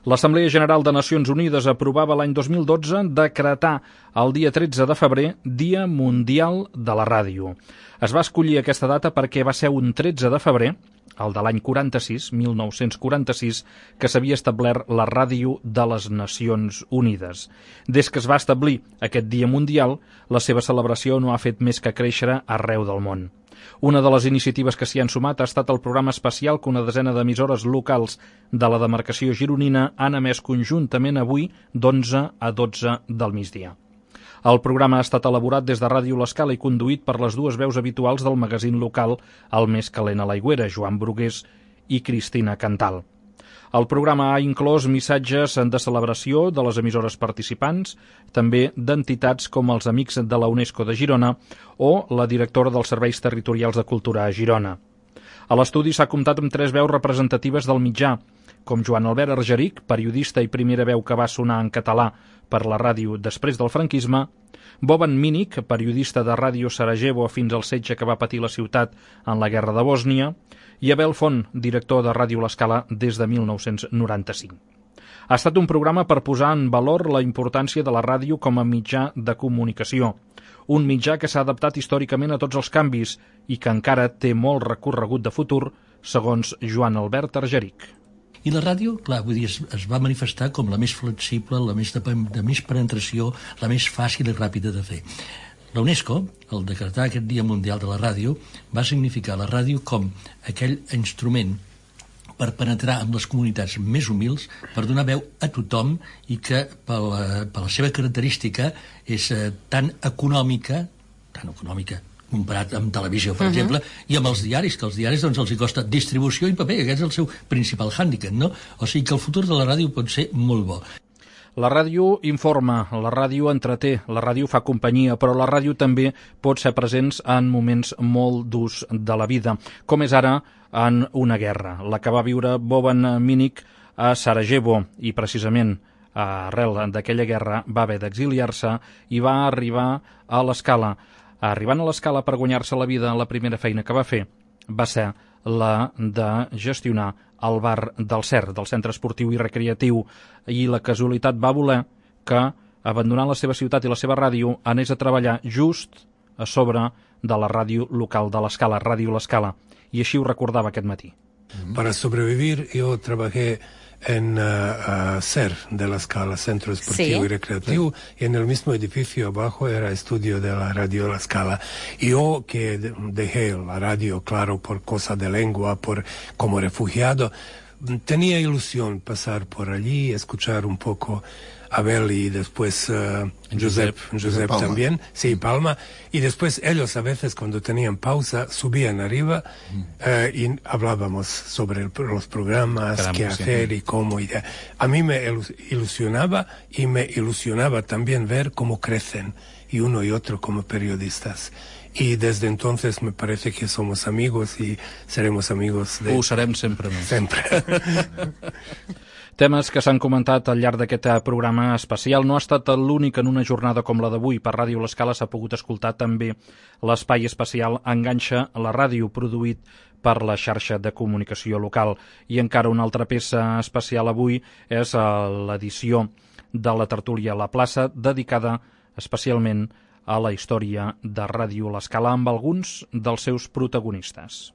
L'Assemblea General de Nacions Unides aprovava l'any 2012 decretar el dia 13 de febrer Dia Mundial de la Ràdio. Es va escollir aquesta data perquè va ser un 13 de febrer, el de l'any 1946, que s'havia establert la Ràdio de les Nacions Unides. Des que es va establir aquest Dia Mundial, la seva celebració no ha fet més que créixer arreu del món. Una de les iniciatives que s'hi han sumat ha estat el programa especial que una desena d'emissores locals de la demarcació gironina han emès conjuntament avui d'11 a 12 del migdia. El programa ha estat elaborat des de Ràdio L'Escala i conduït per les dues veus habituals del magazín local El Més Calent a l'Aigüera, Joan Brugués i Cristina Cantal. El programa ha inclòs missatges de celebració de les emissores participants, també d'entitats com els Amics de la UNESCO de Girona o la directora dels Serveis Territorials de Cultura a Girona. A l'estudi s'ha comptat amb 3 veus representatives del mitjà, com Joan Albert Argeric, periodista i primera veu que va sonar en català per la ràdio després del franquisme, Boban Minic, periodista de Ràdio Sarajevo fins al setge que va patir la ciutat en la Guerra de Bòsnia, i Abel Font, director de Ràdio L'Escala des de 1995. Ha estat un programa per posar en valor la importància de la ràdio com a mitjà de comunicació, un mitjà que s'ha adaptat històricament a tots els canvis i que encara té molt recorregut de futur, segons Joan Albert Argeric. I la ràdio, clar, vull dir, es va manifestar com la més flexible, la més de més penetració, la més fàcil i ràpida de fer. La UNESCO, al decretar aquest Dia Mundial de la Ràdio, va significar la ràdio com aquell instrument per penetrar en les comunitats més humils, per donar veu a tothom i que per la seva característica és tan econòmica comparat amb televisió, per exemple, i amb els diaris, que als diaris doncs, els hi costa distribució i paper, aquest és el seu principal hàndicap, no? O sigui que el futur de la ràdio pot ser molt bo. La ràdio informa, la ràdio entreté, la ràdio fa companyia, però la ràdio també pot ser presents en moments molt durs de la vida, com és ara en una guerra, la que va viure Boban Minic a Sarajevo, i precisament arrel d'aquella guerra va haver d'exiliar-se i va arribar a l'Escala. Arribant a l'Escala per guanyar-se la vida, la primera feina que va fer va ser la de gestionar el bar del CER, del Centre Esportiu i Recreatiu, i la casualitat va voler que, abandonant la seva ciutat i la seva ràdio, anés a treballar just a sobre de la ràdio local de l'Escala, Ràdio L'Escala, i així ho recordava aquest matí. Para sobrevivir yo trabajé en CER de la Escala, Centro Esportivo y Recreativo, y en el mismo edificio abajo era estudio de la Radio La Scala. Y yo que dejé la radio, claro, por cosa de lengua, como refugiado, tenía ilusión pasar por allí, escuchar un poco Abel y después Josep también, sí, Palma, y después ellos a veces cuando tenían pausa subían arriba y hablábamos sobre los programas, qué hacer y cómo. A mí me ilusionaba y me ilusionaba también ver cómo crecen y uno y otro como periodistas. Y desde entonces me parece que somos amigos y seremos amigos de... Ho serem sempre més. Sempre. Temes que s'han comentat al llarg d'aquest programa especial. No ha estat l'únic en una jornada com la d'avui. Per Ràdio L'Escala s'ha pogut escoltar també l'espai especial Enganxa la ràdio, produït per la xarxa de comunicació local. I encara una altra peça especial avui és l'edició de la tertúlia a la plaça, dedicada especialment a la història de Ràdio L'Escala amb alguns dels seus protagonistes.